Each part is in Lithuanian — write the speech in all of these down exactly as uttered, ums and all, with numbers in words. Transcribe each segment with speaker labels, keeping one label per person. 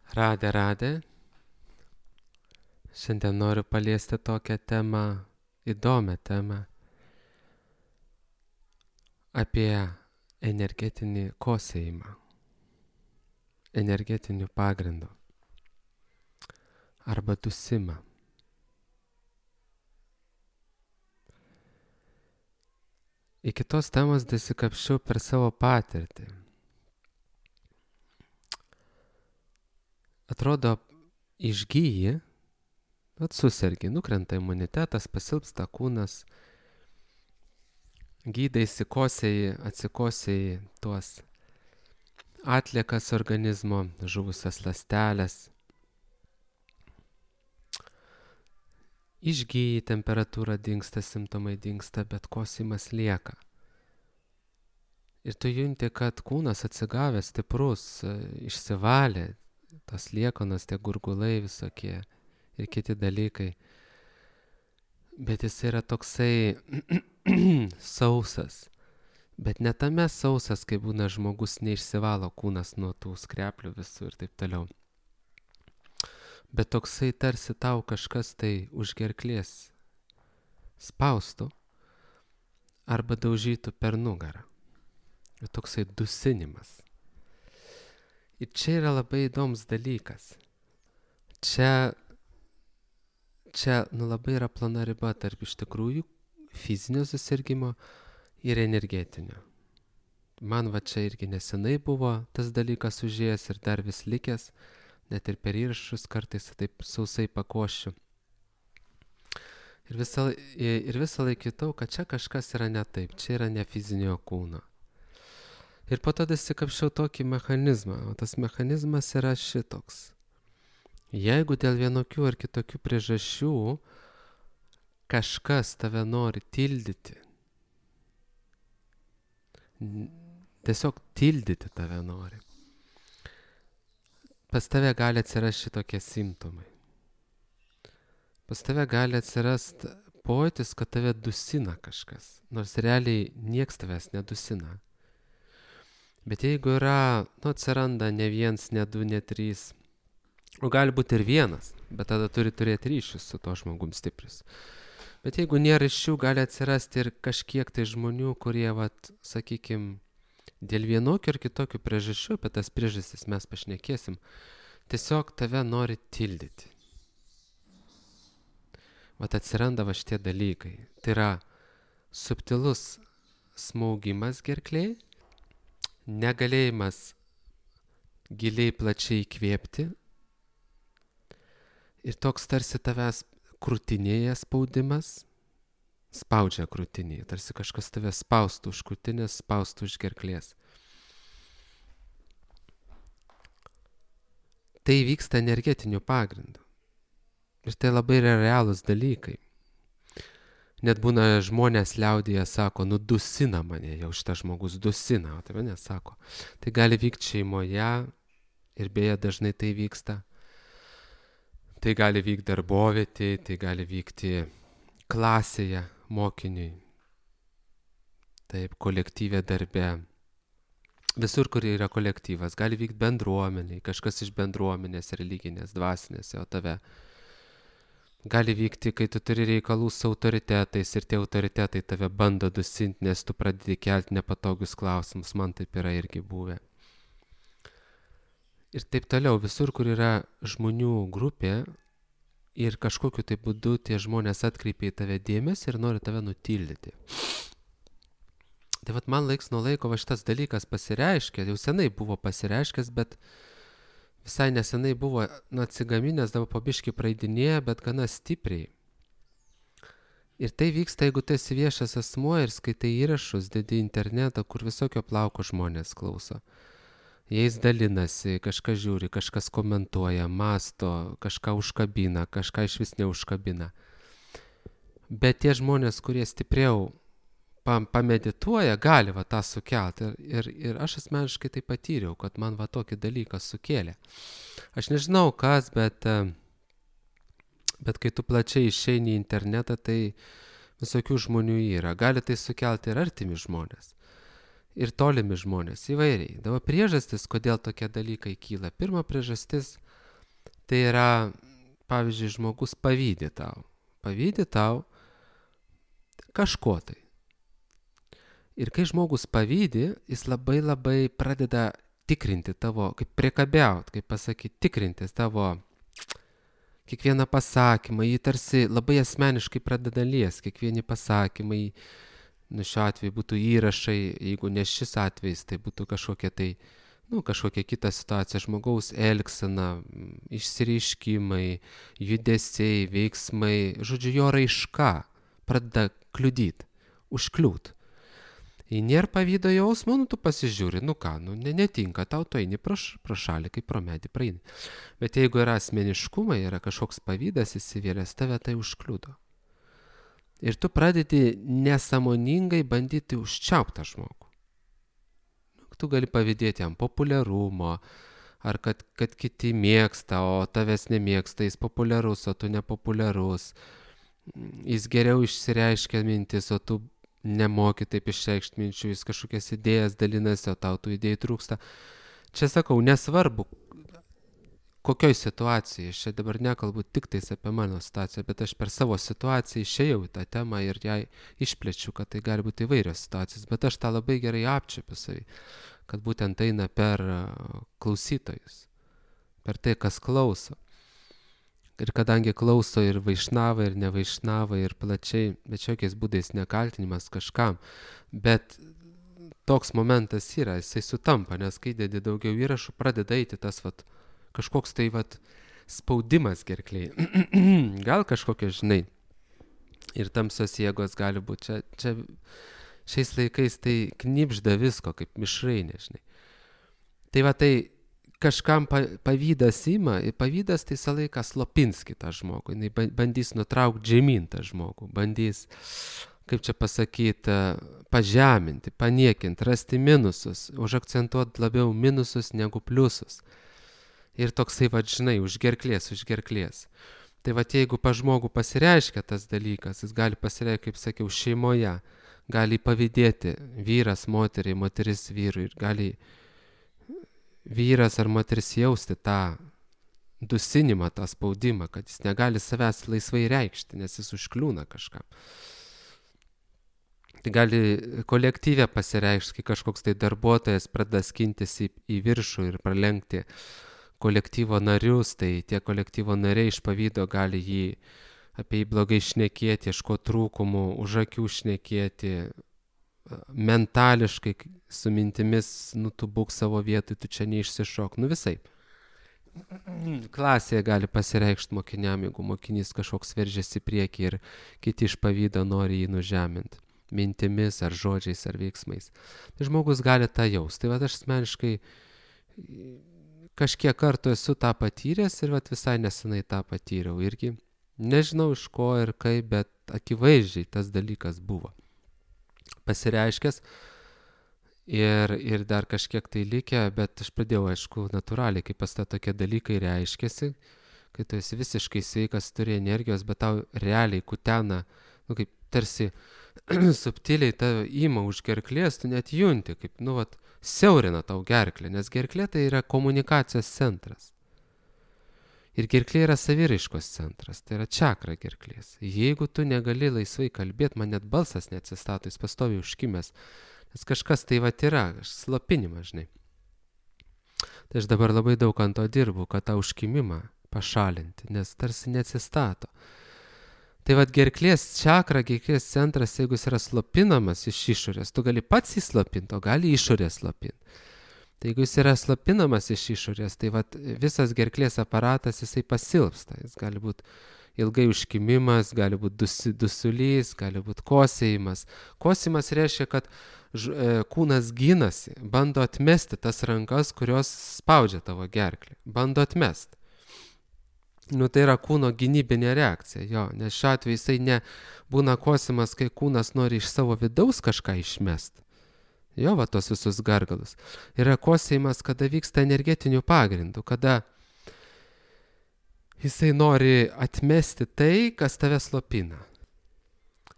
Speaker 1: Radė, radė. Šiandien noriu paliesti tokią temą, įdomią temą apie energetinį kosėjimą, energetinių pagrindų arba dusimą. Iki tos temos dasikapščiau per savo patirtį. Atrodo, išgyji, atsusergi, nukrenta imunitetas, pasilpsta kūnas, gydaisi, kosėjai, atsikosėjai tuos atliekas organizmo, žuvusias ląsteles. Išgyji, temperatūra dingsta, simptomai dingsta, bet kosimas lieka. Ir tu junti, kad kūnas atsigavęs, stiprus, išsivalė, tas liekanas, tie gurgulai visokie ir kiti dalykai. Bet jis yra toksai sausas. Bet ne tame sausas, kai būna žmogus neišsivalo kūnas nuo tų skreplių visų ir taip toliau. Bet toksai tarsi tau kažkas tai už gerklės spaustų arba daužytų per nugarą. Ir toksai dusinimas. Ir čia yra labai įdomus dalykas. Čia, čia nu, labai yra plona riba tarp iš tikrųjų fizinio susirgimo ir energetinio. Man va čia irgi nesenai buvo tas dalykas užėjęs ir dar vis likęs, net ir per įrašus kartais taip sausai pakošiu. Ir visą, ir visą laiką kitau, kad čia kažkas yra ne taip, čia yra ne fizinio kūno. Ir po to dasikapščiau tokį mechanizmą, o tas mechanizmas yra šitoks. Jeigu dėl vienokių ar kitokių priežasčių kažkas tave nori tildyti, tiesiog tildyti tave nori, pas tave gali atsirasti šitokie simptomai. Pas tave gali atsirasti pojūtis, kad tave dusina kažkas, nors realiai nieks tavęs nedusina. Bet jeigu yra, nu, atsiranda ne viens, ne du, ne trys, o gali būti ir vienas, bet tada turi turėti ryšius su to žmogum stiprius. Bet jeigu nėra ryšių, gali atsirasti ir kažkiek tai žmonių, kurie, vat, sakykim, dėl vienokių ar kitokių priežasčių, apie tas priežastis mes pašnekėsim, tiesiog tave nori tildyti. Vat atsiranda va šitie dalykai. Tai yra subtilus smaugimas gerklėj, negalėjimas giliai plačiai įkvėpti ir toks tarsi tavęs krūtinėje spaudimas, spaudžia krūtinėje, tarsi kažkas tave spaustų už krūtinės, spaustų už gerklės. Tai vyksta energetiniu pagrindu. Ir tai labai yra realūs dalykai. Net būna žmonės liaudyje sako, nu dusina mane, jau šitas žmogus dusina, o tai mane sako. Tai gali vykti šeimoje ir beje dažnai tai vyksta. Tai gali vykti darbovietėje, tai gali vykti klasėje mokiniui. Taip, kolektyvė darbe. Visur, kur yra kolektyvas, gali vykti bendruomeniai, kažkas iš bendruomenės, religinės, dvasinės, o tave. Gali vykti, kai tu turi reikalų su autoritetais ir tie autoritetai tave bando dusinti, nes tu pradedi kelti nepatogius klausimus, man taip yra irgi buvę. Ir taip toliau, visur, kur yra žmonių grupė ir kažkokiu tai būdu tie žmonės atkreipia į tave dėmesį ir nori tave nutildyti. Tai vat man laiks nuo laiko va šitas dalykas pasireiškia, jau senai buvo pasireiškęs, bet visai nesenai buvo nu, atsigaminęs, dabar pabiškai praeidinėja, bet gana stipriai. Ir tai vyksta, jeigu tu esi viešas asmuo ir skaitai įrašus, dedi internetą, kur visokio plauko žmonės klauso. Jais dalinasi, kažkas žiūri, kažkas komentuoja, masto, kažką užkabina, kažką iš vis neužkabina. Bet tie žmonės, kurie stipriau pamedituoja, gali va tą sukelti. Ir, ir, ir aš asmeniškai tai patyriau, kad man va tokį dalyką sukėlė. Aš nežinau kas, bet, bet kai tu plačiai išeini į internetą, tai visokių žmonių yra. Gali tai sukelti ir artimi žmonės. ir tolimi žmonės įvairiai. Dabar priežastis, kodėl tokie dalykai kyla. Pirma priežastis Tai yra, pavyzdžiui, žmogus pavydi tau. Pavydi tau kažko tai. Ir kai žmogus pavydi, jis labai labai pradeda tikrinti tavo, kaip priekabiaut, kaip pasakyti, tikrinti tavo kiekvieną pasakymą, jį tarsi labai asmeniškai pradeda lies, kiekvieni pasakymai, nu šiuo atveju būtų įrašai, jeigu ne šis atvejis, tai būtų kažkokia tai, nu kažkokia kita situacija, žmogaus elgsena, išsireiškimai, judesiai, veiksmai, žodžiu, jo raiška pradeda kliudyti, užkliūt. Jei nėra pavydo jausmo, nu tu pasižiūri, nu ką, nu ne, netinka, tau tu eini pro, pro šalį, kaip pro medį praeini. Bet jeigu yra asmeniškumai, yra kažkoks pavydas įsivėlęs, tave tai užkliudo. Ir tu pradedi nesąmoningai bandyti užčiaupti tą žmogų. Tu gali pavydėti jam populiarumo, ar kad, kad kiti mėgsta, o tavęs nemėgsta, jis populiarus, o tu nepopuliarus. Jis geriau išsireiškia mintis, o tu nemoki taip išreikšti minčių, jis kažkokias idėjas dalinasi, o tau tų idėjų trūksta. Čia sakau, nesvarbu, kokioj situacijai, aš čia dabar nekalbu tik tais apie mano situaciją, bet aš per savo situaciją išėjau į tą temą ir ją išplečiu, kad tai gali būti įvairios situacijos, bet aš tą labai gerai apčiuopiu savį, kad būtent eina per klausytojus, per tai, kas klauso. Ir kadangi klauso ir vaišnavai, ir nevaišnavai, ir plačiai, bet jokiais būdais nekaltinimas kažkam, bet toks momentas yra, jisai sutampa, nes kai dedi daugiau įrašų, pradeda eiti tas vat, kažkoks tai vat, spaudimas gerklėje. Gal kažkokie, žinai, ir tamsios jėgos gali būti. Čia, čia šiais laikais tai knibžda visko, kaip mišrainė, žinai. Tai va tai kažkam pavydas ima, ir pavydas tai visą laiką slopins kitą žmogų, jis bandys nutraukti žemyn tą žmogų, bandys, kaip čia pasakyti, pažeminti, paniekinti, rasti minusus, užakcentuoti labiau minusus negu pliusus. Ir toksai, va, žinai, už gerklės, už gerklės. Tai va, jeigu pa žmogų pasireiškia tas dalykas, jis gali pasireikšti, kaip sakiau, šeimoje, gali pavydėti vyras moteriai, moteris vyrui, ir gali vyras ar moteris jausti tą dusinimą, tą spaudimą, kad jis negali savęs laisvai reikšti, nes jis užkliūna kažkam. Tai gali kolektyve pasireikšti, kai kažkoks tai darbuotojas pradeda skintis į, į viršų ir pralenkti kolektyvo narius, tai tie kolektyvo nariai iš pavydo gali jį apie jį blogai šnekėti, ieškoti trūkumų, už akių šnekėti, mentališkai su mintimis, nu tu būk savo vietoj, tu čia neišsišok, nu visai. Klasėje gali pasireikšti mokiniam, jeigu mokinys kažkoks veržiasi priekį ir kiti iš pavydo nori jį nužeminti, mintimis ar žodžiais ar veiksmais. Tai žmogus gali tą jaust. Tai va aš asmeniškai kažkiek kartų esu tą patyręs ir va visai nesenai tą patyriau irgi. Nežinau iš ko ir kaip, bet akivaizdžiai tas dalykas buvo pasireiškęs ir, ir dar kažkiek tai likę, bet aš pradėjau, aišku, natūraliai, kaip pas tą tokie dalykai reiškėsi, kai tu esi visiškai sveikas, turi energijos, bet tau realiai kutena, nu kaip tarsi subtiliai tave ima už gerklės, tu net junti, kaip, nu vat, siaurina tau gerklę, nes gerklė tai yra komunikacijos centras. Ir gerklė yra saviraiškos centras, tai yra čakra gerklės. Jeigu tu negali laisvai kalbėti, man net balsas neatsistato, jis pastoviai užkimęs, nes kažkas tai vat yra, slopinimas, žinai. Tai aš dabar labai daug ant to dirbu, kad tą užkimimą pašalinti, nes tarsi neatsistato. Tai vat gerklės čakra, gerklės centras, jeigu jis yra slopinamas iš išorės, tu gali pats jį slopinti, o gali išorės slopinti. Tai jeigu jis yra slopinamas iš išorės, tai vat visas gerklės aparatas jisai pasilpsta. Jis gali būti ilgai užkimimas, gali būti dusi, dusulys, gali būti kosėjimas. Kosėjimas reiškia, kad ž, e, kūnas ginasi, bando atmesti tas rankas, kurios spaudžia tavo gerklę. Bando atmesti. Nu tai yra kūno gynybinė reakcija, jo, nes šiuo atveju jisai ne būna kosėjimas, kai kūnas nori iš savo vidaus kažką išmesti. Jo, va, tos visus gargalus. Yra kosėjimas, kada vyksta energetinių pagrindų, kada jisai nori atmesti tai, kas tave slopina.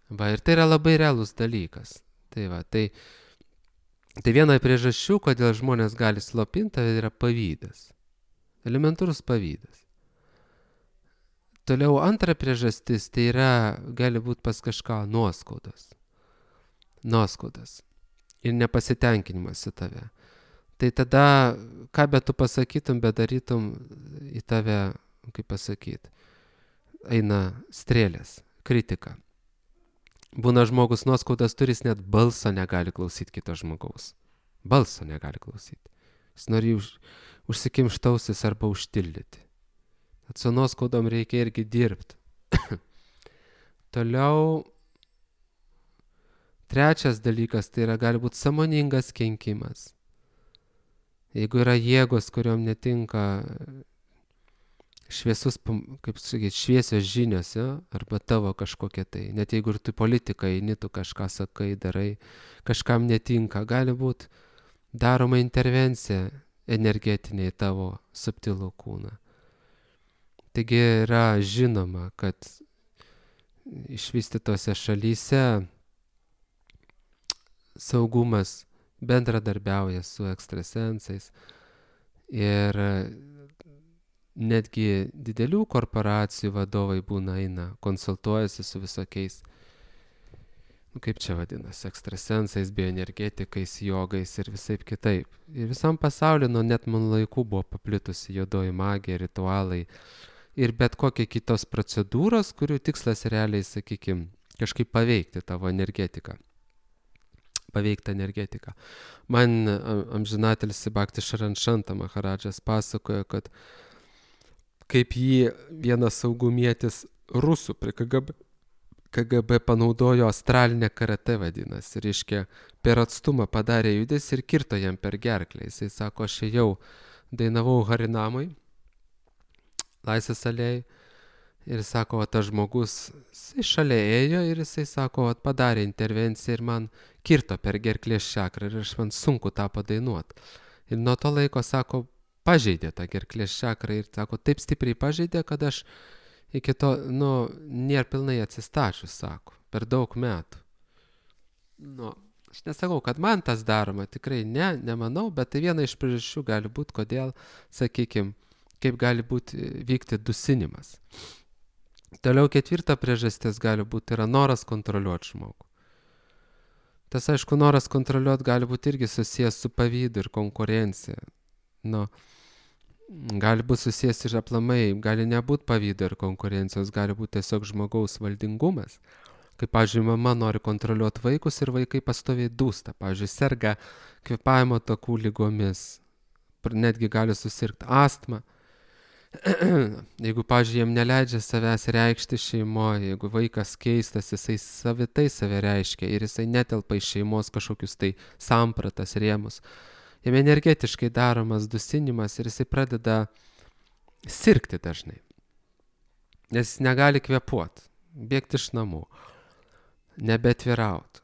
Speaker 1: Va, ir tai yra labai realus dalykas. Tai va, tai, tai viena priežasčių, kodėl žmonės gali slopinti, tai yra pavydas. Elementarus pavydas. Toliau antra priežastis, tai yra, gali būti pas kažką nuoskaudos. Nuoskaudas. Ir nepasitenkinimas į tave. Tai tada, ką bet tu pasakytum, bet darytum, į tave, kaip pasakyti, eina strėlės, kritika. Būna žmogus nuoskaudas turis, net balso negali klausyti kito žmogaus. Balso negali klausyti. Jis nori už, užsikimštausis arba užtildyti. Tad su nuoskaudom reikia irgi dirbti. Toliau, trečias dalykas, tai yra gali būti sąmoningas kenkimas. Jeigu yra jėgos, kuriuom netinka šviesus, kaip sakyti, šviesios žinios, ja? Arba tavo kažkokia tai, net jeigu ir tu politiką eini, tu kažką sakai, darai, kažkam netinka, gali būti daroma intervencija energetinė į tavo subtilų kūną. Taigi yra žinoma, kad išvystytose šalyse saugumas bendradarbiauja su ekstrasensais ir netgi didelių korporacijų vadovai būna eina, konsultuojasi su visokiais, nu kaip čia vadinasi, ekstrasensais, bioenergetikais, jogais ir visaip kitaip. Ir visam pasauliu nuo net man laikų buvo paplitusi juodoji magija, ritualai ir bet kokie kitos procedūros, kurių tikslas realiai, sakykime, kažkaip paveikti tavo energetiką. Paveikti energetiką. Man amžinatelis Bhakti Sharanshanta Maharadžas pasakojo, kad kaip jį vienas saugumietis rusų prie K G B, K G B panaudojo astralinę karate vadinasi. Reiškia, per atstumą padarė judesį ir kirto jam per gerklę. Jisai sako, aš jau dainavau Harinamui, Laisvės alėjai. Ir sako, o tas žmogus, jisai šalia ėjo ir jisai sako, o padarė intervenciją ir man kirto per gerklės čakrą ir aš man sunku tą padainuoti. Ir nuo to laiko, sako, pažeidė tą gerklės čakrą ir sako, taip stipriai pažeidė, kad aš iki to, nu, nėra pilnai atsistačius, sako, per daug metų. Nu, aš nesakau, kad man tas daroma, tikrai ne, nemanau, bet tai viena iš priežasčių gali būti, kodėl, sakykime, kaip gali būti vykti dusinimas. Toliau ketvirta priežastis gali būti yra noras kontroliuoti žmogų. Tas, aišku, noras kontroliuoti gali būti irgi susijęs su pavydu ir konkurencija. Nu, gali būti susijęs ir aplamai, gali nebūti pavydo ir konkurencijos, gali būti tiesiog žmogaus valdingumas. Kaip, pavyzdžiui, mama nori kontroliuoti vaikus ir vaikai pastoviai dūsta. Pavyzdžiui, serga kvėpavimo takų ligomis, netgi gali susirgti astmą. Jeigu, pavyzdžiui, jiem neleidžia savęs reikšti šeimoje, jeigu vaikas keistas, jisai savitai save reiškia ir jisai netelpa į šeimos kažkokius tai sampratas rėmus. Jam energetiškai daromas dusinimas ir jisai pradeda sirgti dažnai. Nes jis negali kvėpuoti, bėgti iš namų, nebetvirauti.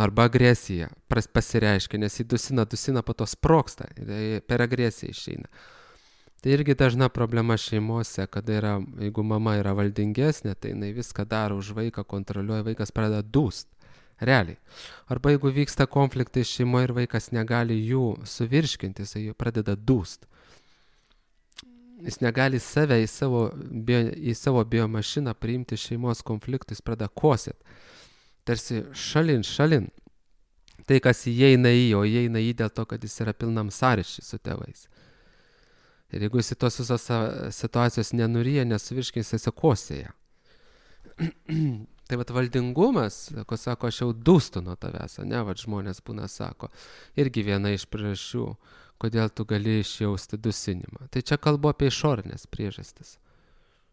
Speaker 1: Arba agresija pasireiškia, nes jį dusina, dusina, po to sprogsta, per agresiją išeina. Tai irgi dažna problema šeimose, kada yra, jeigu mama yra valdingesnė, tai jinai viską daro už vaiką, kontroliuoja, vaikas pradeda dūst, realiai. Arba jeigu vyksta konfliktai šeimoje ir vaikas negali jų suvirškinti, jisai jų pradeda dūst. Jis negali save į savo, bio, į savo biomašiną priimti šeimos konfliktų, jis pradeda kosėt. Tarsi šalin, šalin. Tai, kas įeina į, o įeina į dėl to, kad jis yra pilnam sąryšį su tėvais. Ir jeigu jis į tos visos situacijos nenuryja, nesuvirškins, jis kosėja. Tai vat valdingumas, ko sako, aš jau dūstu nuo tavęs, ne, vat žmonės būna sako, irgi viena iš priežasčių, kodėl tu gali išjausti dusinimą. Tai čia kalbu apie išorinės priežastis.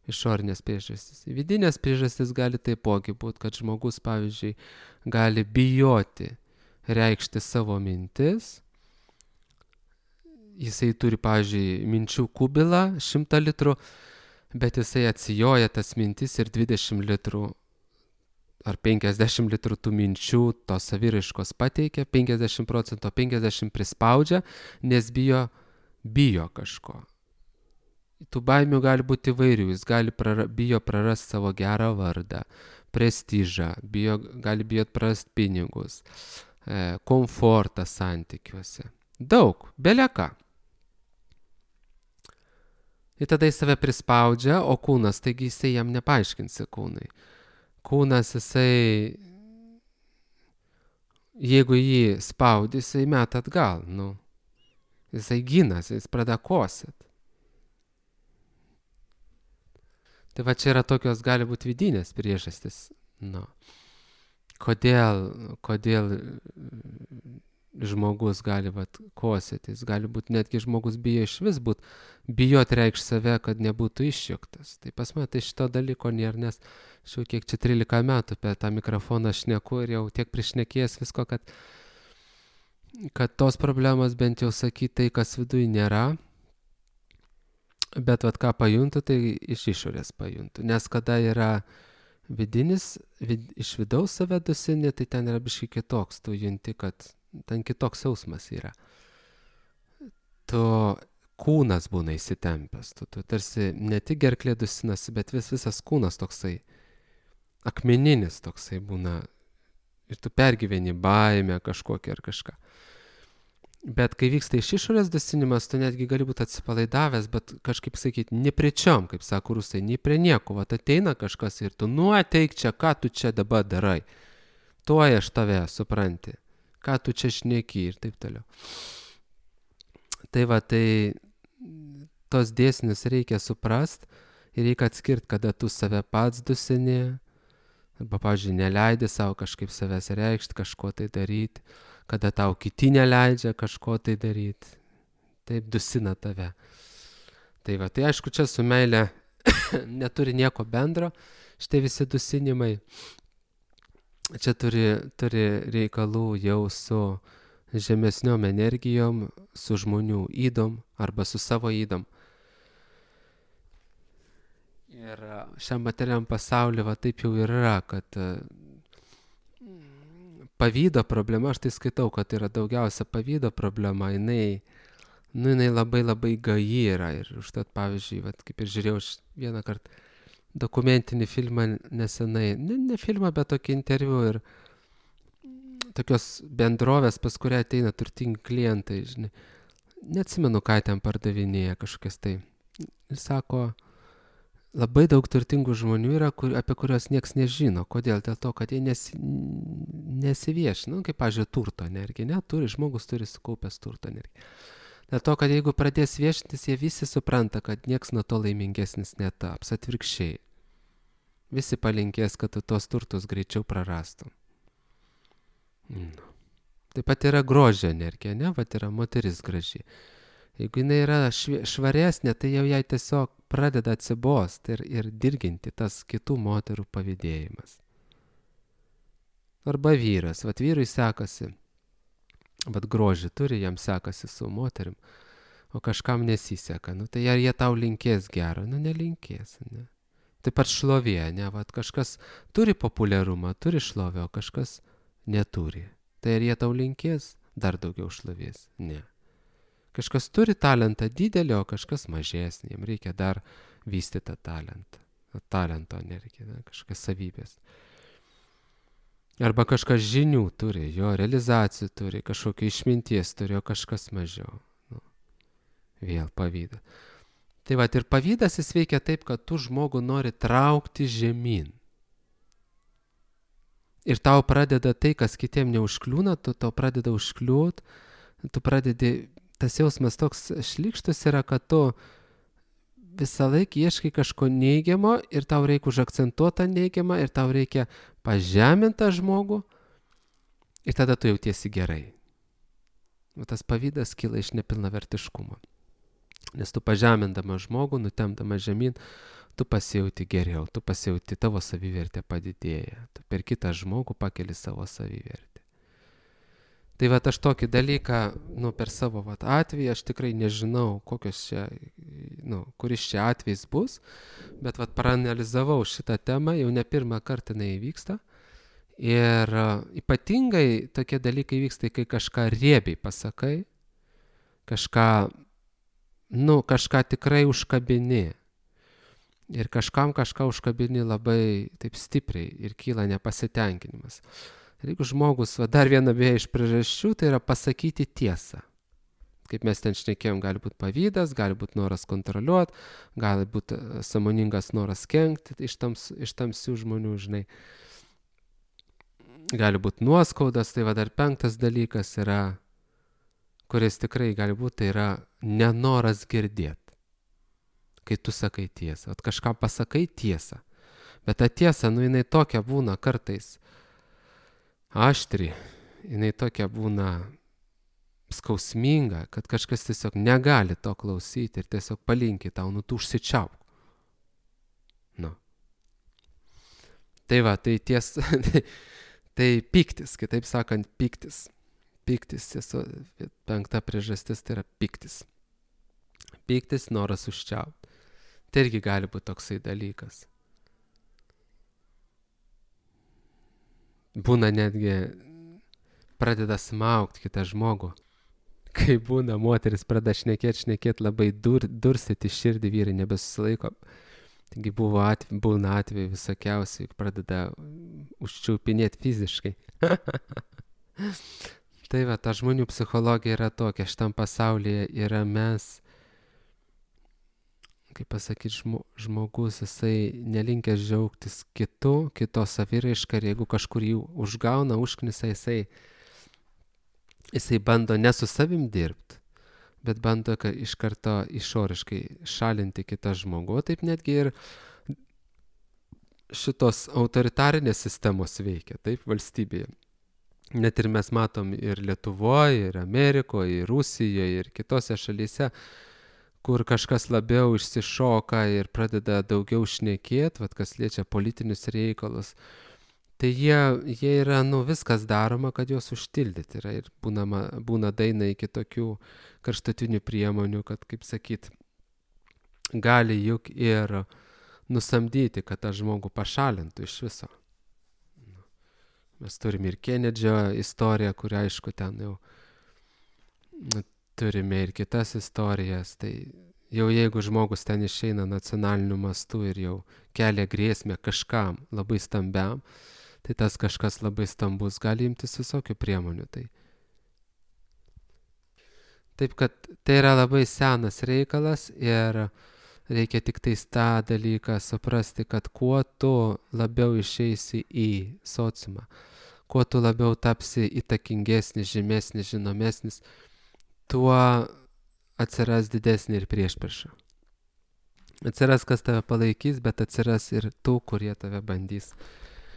Speaker 1: Išorinės priežastis. Vidinės priežastis gali taipogi būti, kad žmogus, pavyzdžiui, gali bijoti reikšti savo mintis. Jisai turi, pavyzdžiui, minčių kubilą šimtą litrų, bet jisai atsijoja tas mintis ir dvidešimt litrų ar penkiasdešimt litrų tų minčių tos saviraiškos pateikia, penkiasdešimt procentų, penkiasdešimt prispaudžia, nes bijo, bijo kažko. Tų baimių gali būti įvairių, jis gali prara, bijo prarasti savo gerą vardą, prestižą, bijo, gali bijot prarasti pinigus, e, komfortą santykiuose. Daug, bele ką. Ir tada jis save prispaudžia, o kūnas, taigi jisai jam nepaaiškinsi kūnai. Kūnas jisai, jeigu jį spaudi, jisai meta atgal, nu. Jisai ginasi, jis pradeda kosėt. Tai va čia yra tokios, gali būti vidinės priežastis. Nu. Kodėl, kodėl žmogus gali vat, kosėti, jis gali būti, netgi žmogus bijo iš vis būt, bijot reikš save, kad nebūtų išjuktas. Tai pas mane tai šito dalyko nėra, nes šiau kiek čia trylika metų apie tą mikrofoną šneku ir jau tiek prišnekėjęs visko, kad, kad tos problemos bent jau sakyti tai, kas viduj nėra, bet vat ką pajuntu, tai iš išorės pajuntu. Nes kada yra vidinis, vid, iš vidaus save dusini, tai ten yra biškai kitoks, tu junti, kad ten kitoks jausmas yra. Tu kūnas būna įsitempęs, tu, tu tarsi ne tik gerklė dusinasi, bet vis, visas kūnas toksai, akmeninis toksai būna ir tu pergyveni baimę kažkokią ar kažką. Bet kai vyksta iš išorės dusinimas, tu netgi gali būti atsipalaidavęs, bet kažkaip sakyti, ne prie čiom, kaip sako rusai, ne prie nieko, vat ateina kažkas ir tu, nu ateik čia, ką tu čia dabar darai, tuoj aš tave supranti, ką tu čia šneki ir taip toliau. Tai va, tai tos dėsnius reikia suprast ir reikia atskirti, kada tu save pats dusini, arba, pavyzdžiui, neleidi savo kažkaip savęs reikšti, kažko tai daryti, kada tau kiti neleidžia kažko tai daryti, taip dusina tave. Tai va, tai aišku, čia su meile neturi nieko bendro, šitie visi dusinimai. Čia turi, turi reikalų jau su žemesniom energijom, su žmonių ydom arba su savo ydom. Ir šiam materialiam pasauliu va taip jau yra, kad pavydo problema, aš tai skaitau, kad yra daugiausia pavydo problema, jinai, nu, jinai labai labai gaji yra. Ir užtat, pavyzdžiui, vat, kaip ir žiūrėjau vieną kartą dokumentinį filmą nesenai, ne, ne filmą, bet tokį interviu ir tokios bendrovės, pas kurią ateina turtingi klientai, žinai, neatsimenu, ką ten pardavinėja kažkokias tai. Ir sako, labai daug turtingų žmonių yra, kur, apie kurios nieks nežino. Kodėl? Dėl to, kad jie nesi, nesiviešina, nu, kaip, pavyzdžiui, turto energija, ne, turi, žmogus turi sukaupęs turto energiją. Dėl to, kad jeigu pradės viešintis, jie visi supranta, kad nieks nuo to laimingesnis netaps, atvirkščiai. Visi palinkės, kad tu tos turtus greičiau prarastum. No. Taip pat yra grožio energija, ne, vat yra moteris graži. Jeigu jinai yra švaresnė, tai jau jai tiesiog pradeda atsibost ir, ir dirginti tas kitų moterų pavydėjimas. Arba vyras, vat vyrui sekasi, vat grožį turi, jam sekasi su moterim, o kažkam nesiseka. Nu, tai ar jie tau linkės gero? Nu, nelinkės, ne. Taip pat šlovė, ne, vat kažkas turi populiarumą, turi šlovę, o kažkas neturi. Tai ar jie tau linkės dar daugiau šlovės? Ne. Kažkas turi talentą didelį, o kažkas mažesnį, jam reikia dar vystyti tą talentą. Talento nereikia, ne, kažkokias savybės. Arba kažkas žinių turi, jo realizacijų turi, kažkokio išminties turi, o kažkas mažiau. Nu, vėl pavydas. Tai va, ir pavydas jis veikia taip, kad tu žmogų nori traukti žemyn. Ir tau pradeda tai, kas kitiem neužkliūna, tu tau pradeda užkliūt, tu pradedi, tas jausmas toks šlykštus yra, kad tu visą laiką ieškai kažko neigiamo ir tau reikia užakcentuotą neigiamą ir tau reikia pažemintą žmogų ir tada tu jautiesi gerai. O tas pavydas kyla iš nepilnavertiškumo. Nes tu pažemindama žmogų, nutemdama žemyn, tu pasijauti geriau, tu pasijauti, tavo savivertė padidėja. Tu per kitą žmogų pakeli savo savivertę. Tai vat aš tokį dalyką, nu, per savo vat atvejį, aš tikrai nežinau, kokios čia, nu, kuris čia atvejis bus, bet vat paranalizavau šitą temą, jau ne pirmą kartą jinai įvyksta. Ir uh, ypatingai tokie dalykai vyksta, kai kažką riebiai pasakai, kažką, nu, kažką tikrai užkabini. Ir kažkam kažką užkabini labai taip stipriai ir kyla nepasitenkinimas. Ir jeigu žmogus, va, dar viena beje iš priežasčių, tai yra pasakyti tiesą. Kaip mes ten šnekėjom, gali būti pavydas, gali būti noras kontroliuoti, gali būti sąmoningas noras kenkti iš, tams, iš tamsių žmonių, žinai. Gali būti nuoskaudas, tai va dar penktas dalykas yra, kuris tikrai gali būti, tai yra nenoras girdėti, kai tu sakai tiesą. At kažką pasakai tiesą, bet ta tiesa, nu jinai tokia būna kartais aštri, jinai tokia būna skausminga, kad kažkas tiesiog negali to klausyti ir tiesiog palinki tau, nu tu užsičiauk. Nu. Tai va, tai ties, tai, tai piktis, kitaip sakant, piktis. Piktis, tiesiog, penkta priežastis tai yra piktis. Piktis, noras užčiaupti. Tai irgi gali būti toksai dalykas. Būna netgi pradeda smaugti kitą žmogų. Kai būna moteris pradeda šnekėti, šnekėti labai dur, durstyti širdį, vyrai nebesusilaiko. Taigi buvo atve, būna atvejai visokiausiai, pradeda užčiaupinėti fiziškai. Tai va, ta žmonių psichologija yra tokia, šitam pasaulyje yra mes, kaip pasakyti, žmo, žmogus, jisai nelinkęs džiaugtis kitu, kito saviraišką, ir jeigu kažkur jį užgauna, užknisa, jisai Jisai bando ne su savim dirbti, bet bando iš karto išoriškai šalinti kitą žmogų. Taip netgi ir šitos autoritarinės sistemos veikia, taip, valstybėje. Net ir mes matom ir Lietuvoje, ir Amerikoje, ir Rusijoje, ir kitose šalyse, kur kažkas labiau išsišoka ir pradeda daugiau šnekėti, vat kas liečia politinius reikalus. Tai jie, jie yra, nu, viskas daroma, kad juos užtildyti yra ir būna, būna daina iki tokių karštutinių priemonių, kad, kaip sakyt, gali juk ir nusamdyti, kad tą žmogų pašalintų iš viso. Mes turime ir Kenedžio istoriją, kur aišku ten jau turime ir kitas istorijas, tai jau jeigu žmogus ten išeina nacionaliniu mastu ir jau kelia grėsmę kažkam labai stambiam, tai tas kažkas labai stambus gali imtis visokių priemonių. Tai. Taip, kad tai yra labai senas reikalas ir reikia tik tais tą dalyką suprasti, kad kuo tu labiau išeisi į sociumą, kuo tu labiau tapsi įtakingesnis, žymesnis, žinomesnis, tuo atsiras didesnė ir priešprieša. Atsiras, kas tave palaikys, bet atsiras ir tų, kurie tave bandys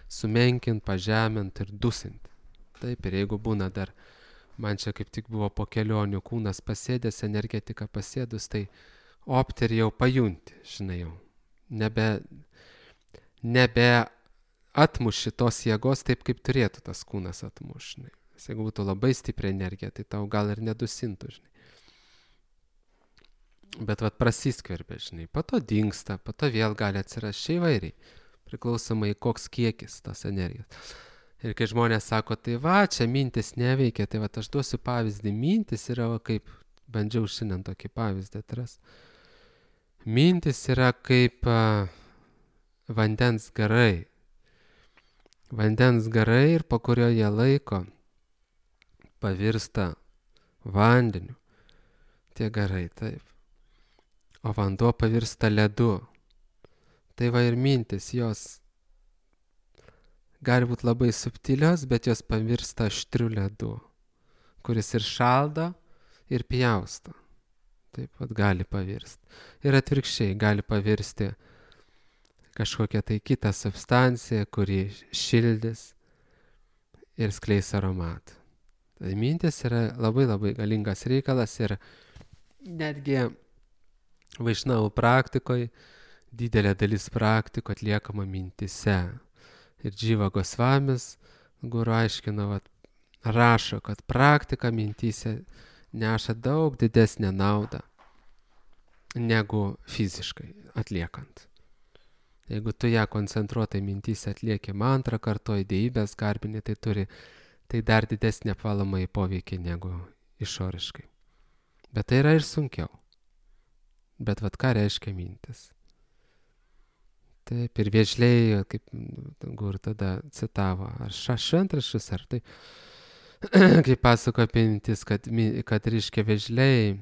Speaker 1: sumenkinti, pažeminti ir dusinti. Taip, ir jeigu būna dar, man čia kaip tik buvo po kelionių kūnas pasėdęs, energetika pasėdus, tai opt ir jau pajunti, žinai jau. Nebe, nebe atmuši tos jėgos taip, kaip turėtų tas kūnas atmuš, žinai. Jeigu būtų labai stipri energija, tai tau gal ir nedusintų, žinai. Bet vat prasiskverbė, žinai, po to dingsta, po to vėl gali atsirasti įvairiai. Priklausomai koks kiekis tos energijos. Ir kai žmonės sako, tai va, čia mintis neveikia, tai va, aš duosiu pavyzdį. Mintis yra, va, kaip, bandžiau šiandien tokį pavyzdį atras. Mintis yra kaip uh, vandens garai. Vandens garai ir po kurio jie laiko pavirsta vandeniu. Tie garai, taip. O vanduo pavirsta ledu. Tai va ir mintis, jos gali būti labai subtilios, bet jos pavirsta aštriu ledu, kuris ir šaldo, ir pjausto. Taip pat gali pavirsti. Ir atvirkščiai gali pavirsti kažkokią tai kitą substanciją, kuri šildys ir skleis aromatą. Tai mintis yra labai labai galingas reikalas ir netgi vaišnavų praktikoje didelė dalis praktikų atliekama mintise. Ir Dživa Gosvamis, guru aiškina, vat, rašo, kad praktika mintise neša daug didesnę naudą negu fiziškai atliekant. Jeigu tu ją koncentruotai mintise atlieki mantrą, kartuoji dievybės garbinį, tai turi tai dar didesnį apvalomąjį poveikį negu išoriškai. Bet tai yra ir sunkiau. Bet vat ką reiškia mintis? Taip, ir vėžliai, kaip Gur tada citavo, ar šventraščius, ar tai. kaip pasako apie mintis, kad, kad reiškia vėžliai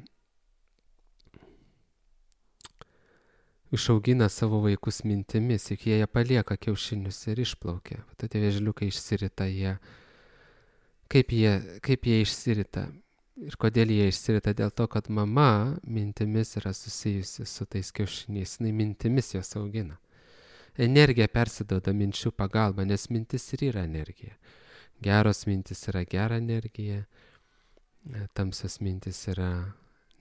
Speaker 1: išaugina savo vaikus mintimis, juk jie palieka kiaušinius ir išplaukia. Tai tie vėžliukai išsirita, jie, kaip jie, kaip jie išsirita. Ir kodėl jie išsirita? Dėl to, kad mama mintimis yra susijusi su tais kiaušiniais, jinai mintimis jos augina. Energija persiduoda minčių pagalba, nes mintis ir yra energija. Geros mintis yra gera energija, tamsios mintis yra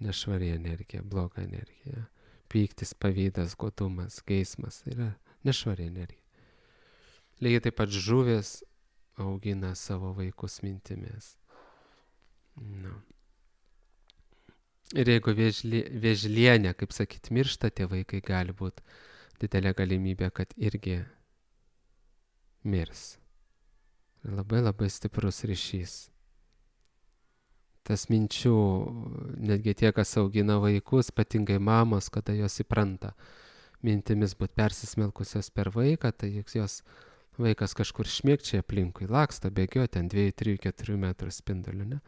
Speaker 1: nešvari energija, bloga energija. Pyktis, pavydas, godumas, geismas yra nešvari energija. Lygiai taip pat žuvės augina savo vaikus mintimis. No. Ir jeigu vėžli, vėžlienė, kaip sakyt, miršta, tie vaikai gali būti didelė galimybė, kad irgi mirs. Labai labai stiprus ryšys. Tas minčių, netgi tie, kas augina vaikus, ypatingai mamos, kada jos įpranta mintimis būti persismelkusios per vaiką, tai jos vaikas kažkur šmėkčia aplinkui, laksto, bėgio ten dviejų, trijų, keturių metrų spinduliu, ne?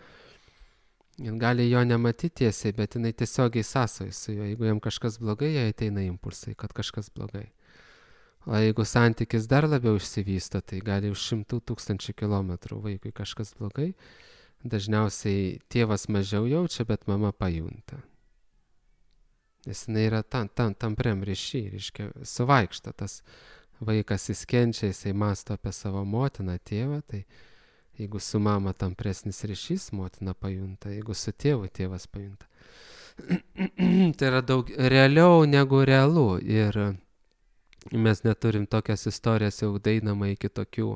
Speaker 1: Jis gali jo nematyti tiesiai, bet jinai tiesiogiai sąsoja su juo. Jeigu jam kažkas blogai, jai ateina impulsai, kad kažkas blogai. O jeigu santykis dar labiau išsivysto, tai gali už šimtų tūkstančių kilometrų vaikui kažkas blogai. Dažniausiai tėvas mažiau jaučia, bet mama pajunta. Nes jinai yra tam, tam, tampriam ryšy, reiškia, suvaikšta tas vaikas, jis kenčia, jisai mąsto apie savo motiną, tėvą, tai jeigu su mama tampresnis ryšys, motina pajunta, jeigu su tėvu, tėvas pajunta. Tai yra daug realiau negu realu ir mes neturim tokias istorijas jau dainama iki tokių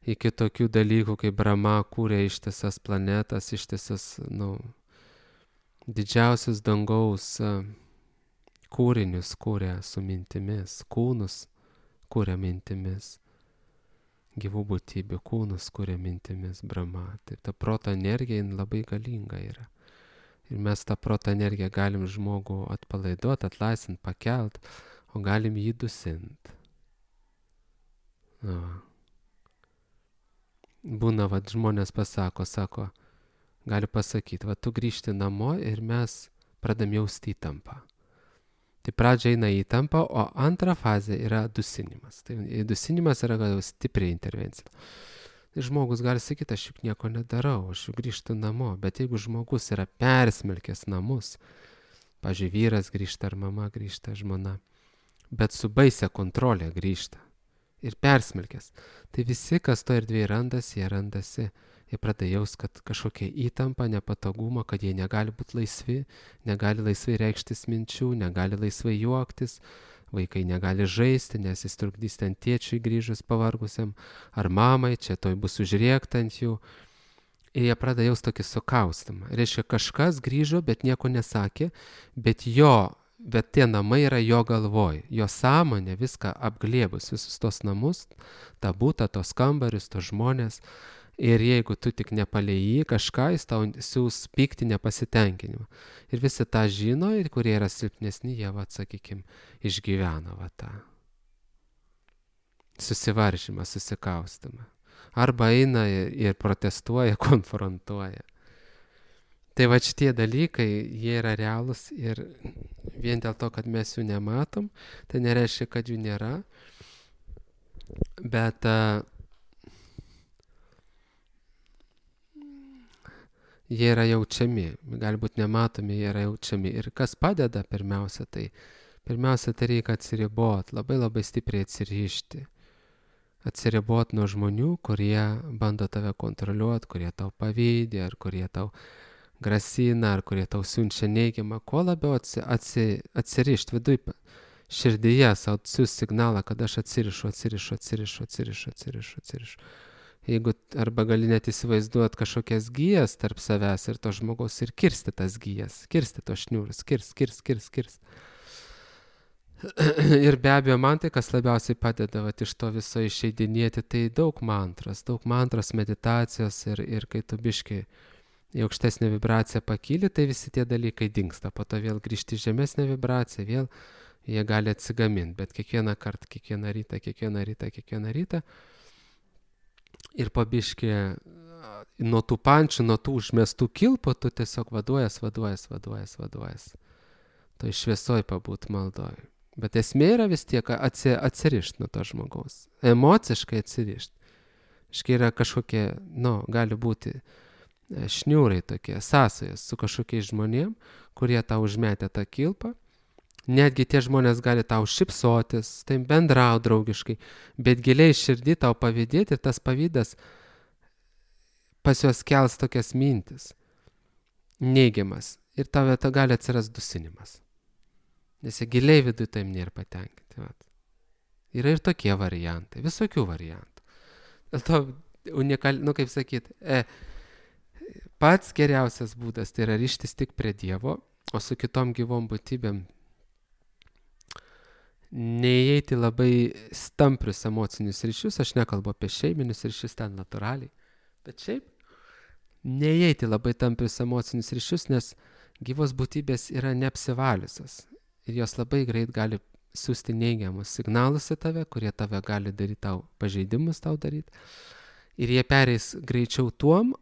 Speaker 1: iki tokių dalykų, kaip Brahma kūrė ištisas planetas, ištisas, nu, didžiausius dangaus kūrinius kūrė su mintimis, kūnus kūrė mintimis, gyvų būtybių kūnus kūrė mintimis Brahma. Tai ta proto energija labai galinga yra. Ir mes tą proto energiją galim žmogų atpalaiduoti, atlaisvinti, pakelt, o galim jį dusinti. Na. Būna, va, žmonės pasako, sako, gali pasakyti, va, tu grįžti namo ir mes pradam jausti įtampą. Tai pradžia eina įtampa, o antra fazė yra dusinimas. Tai dusinimas yra gal stipri intervencija. Tai žmogus gali sakyti, aš juk nieko nedarau, aš juk grįžtu namo, bet jeigu žmogus yra persmelkęs namus, pavyzdžiui, vyras grįžta ar mama grįžta, žmona, bet su baisia kontrolė grįžta. Ir persmelkęs. Tai visi, kas to erdvėje randasi, jie randasi, jie pradeda jaus, kad kažkokia įtampa, nepatogumą, kad jie negali būti laisvi, negali laisvai reikštis minčių, negali laisvai juoktis, vaikai negali žaisti, nes jis trukdys ten tėčiui grįžus pavargusiam, ar mamai, čia toj bus užrėkta ant jų. Ir jie pradeda jaus tokį sukaustimą. Reiškia, kažkas grįžo, bet nieko nesakė, bet jo Bet tie namai yra jo galvoj, jo sąmonė viską apglėbus, visus tos namus, tą butą, tos kambarius, tos žmonės. Ir jeigu tu tik nepalei jį kažką, jis tau siūs pyktį, nepasitenkinimą. Ir visi tą žino, ir kurie yra silpnesni, jie, va, sakykime, išgyvena va tą susivaržymą, susikaustimą. Arba eina ir protestuoja, konfrontuoja. Tai va šitie dalykai, jie yra realūs ir vien dėl to, kad mes jų nematom, tai nereiškia, kad jų nėra, bet uh, jie yra jaučiami, galbūt nematomi, jie yra jaučiami. Ir kas padeda pirmiausia, tai pirmiausia, tai reikia atsiribot, labai labai stipriai atsirišti. Atsiribot nuo žmonių, kurie bando tave kontroliuoti, kurie tau pavydi, ar kurie tau grasina, ar kurie tau siunčia neigiamą, kuo labiau atsi, atsi, atsirišti viduj, širdyje savo siūs signalą, kad aš atsirišu, atsirišu, atsirišu, atsirišu, atsirišu, atsirišu. Jeigu arba gali net įsivaizduoti kažkokias gijas tarp savęs ir to žmogaus ir kirsti tas gijas, kirsti to šniūrus, kirst, kirst, kirst, kirst. Ir be abejo, man tai, kas labiausiai padeda vat, iš to viso išeidinėti, tai daug mantros, daug mantros, meditacijos ir, ir kai tu biškai į aukštesnę vibraciją pakyli, tai visi tie dalykai dingsta. Po to vėl grįžti į žemesnę vibraciją, vėl jie gali atsigaminti. Bet kiekvieną kartą, kiekvieną rytą, kiekvieną rytą, kiekvieną rytą ir po biškį nuo tų pančių, nuo tų užmestų kilpų, tu tiesiog vaduojas, vaduojas, vaduojas, vaduojas. Toj šviesoj pabūt maldoj. Bet esmė yra vis tiek atsi, atsirišti nuo to žmogaus. Emociškai atsirišti. Iškai yra kažkokie, nu, gali būti šniūrai tokie, sąsajas su kažkokiais žmonėm, kurie tau užmetė tą kilpą. Netgi tie žmonės gali tau šipsotis, tai bendrau draugiškai, bet giliai širdį tau pavydėti ir tas pavydas pas juos kels tokias mintis, neigiamas, ir tave ta gali atsiras dusinimas. Nes jie giliai vidui taim nėra patenkinti. Vat. Yra ir tokie variantai, visokių variantų. Dėl to unikal, nu kaip sakyt, e, pats geriausias būdas tai yra ryštis tik prie Dievo, o su kitom gyvom būtybėm neįeiti labai stamprius emocinius ryšius, aš nekalbu apie šeiminius ryšius ten natūraliai, bet šiaip neįeiti labai tamprius emocinius ryšius, nes gyvos būtybės yra neapsivaliusios ir jos labai greit gali siūsti neigiamus signalus į tave, kurie tave gali daryti tau pažeidimus tau daryti ir jie pereis greičiau tuom,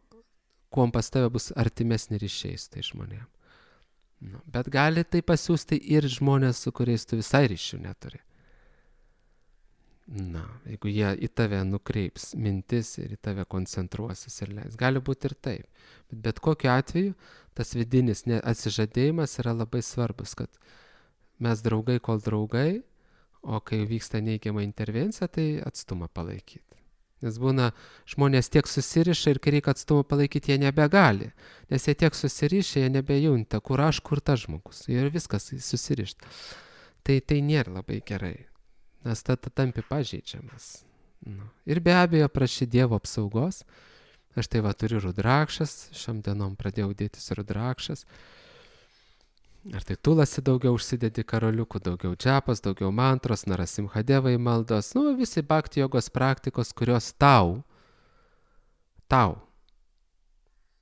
Speaker 1: kuom pas tave bus artimesni ryšiai su tai žmonėm. Nu, bet gali tai pasiūsti ir žmonės, su kuriais tu visai ryšių neturi. Na, jeigu jie į tave nukreips mintis ir į tave koncentruosis ir leis. Gali būti ir taip. Bet bet kokiu atveju tas vidinis atsižadėjimas yra labai svarbus, kad mes draugai kol draugai, o kai vyksta neigiama intervencija, tai atstumą palaikyti. Nes būna žmonės tiek susiriša ir kai reikia atstumą palaikyti, jie nebegali. Nes jie tiek susiriša, jie nebejunta, kur aš, kur tas žmogus. Ir viskas susirišta. Tai tai nėra labai gerai. Nes tada tampi pažeidžiamas. Nu. Ir be abejo prašy Dievo apsaugos. Aš tai va turiu rudrakšas. Šiom dienom pradėjau dėtis rudrakšas. Ar tai tulasi daugiau užsidedi karoliukų, daugiau džapas, daugiau mantros, narasimhadevai maldos, nu visi bhakti jogos praktikos, kurios tau, tau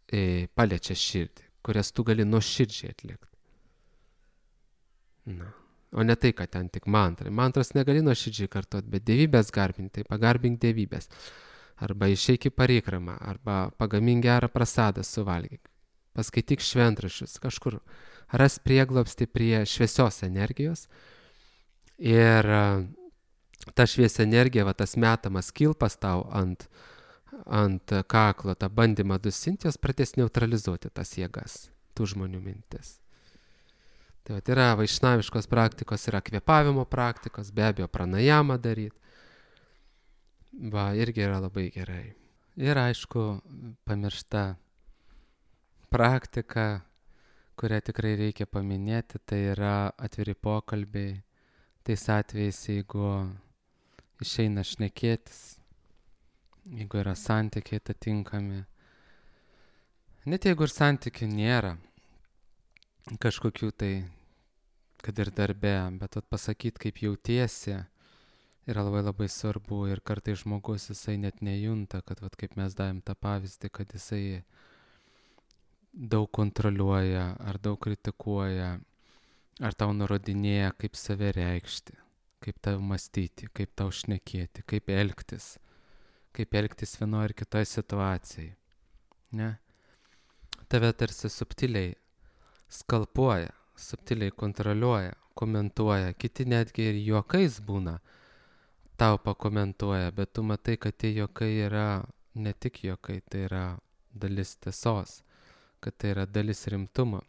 Speaker 1: e, paliečia širdį, kurias tu gali nuoširdžiai atlikti. Na, o ne tai, kad ten tik mantrai. Mantros negali nuoširdžiai kartuoti, bet dievybės garbinti, tai pagarbink dievybės. Arba išeik į parikramą, arba pagamink gerą prasadą suvalgyk. Paskaityk šventraščius, kažkur ras prieglobstį prie šviesios energijos ir ta šviesi energija, va, tas metamas kilpas tau ant, ant kaklo, tą bandymą dusinti, jos pradės neutralizuoti tas jėgas, tų žmonių mintis. Tai va, yra vaišnaviškos praktikos, yra kvėpavimo praktikos, be abejo pranajamą daryti. Va, irgi yra labai gerai. Ir aišku, pamiršta praktika, kurią tikrai reikia paminėti, tai yra atviri pokalbiai, tais atvejais, jeigu išeina šnekėtis, jeigu yra santykiai atitinkami. Net jeigu ir santykių nėra, kažkokių tai, kad ir darbe, bet pasakyti, kaip jautiesi, yra labai labai svarbu ir kartais žmogus jisai net nejunta, kad vat, kaip mes davėm tą pavyzdį, kad jisai daug kontroliuoja, ar daug kritikuoja, ar tau nurodinėja, kaip save reikšti, kaip tau mąstyti, kaip tau šnekėti, kaip elgtis, kaip elgtis vienoje ar kitoje situacijai. Ne? Tave tarsi subtiliai skalpuoja, subtiliai kontroliuoja, komentuoja, kiti netgi ir juokais būna, tau pakomentuoja, bet tu matai, kad tie juokai yra ne tik juokai, tai yra dalis tiesos, kad tai yra dalis rimtumo.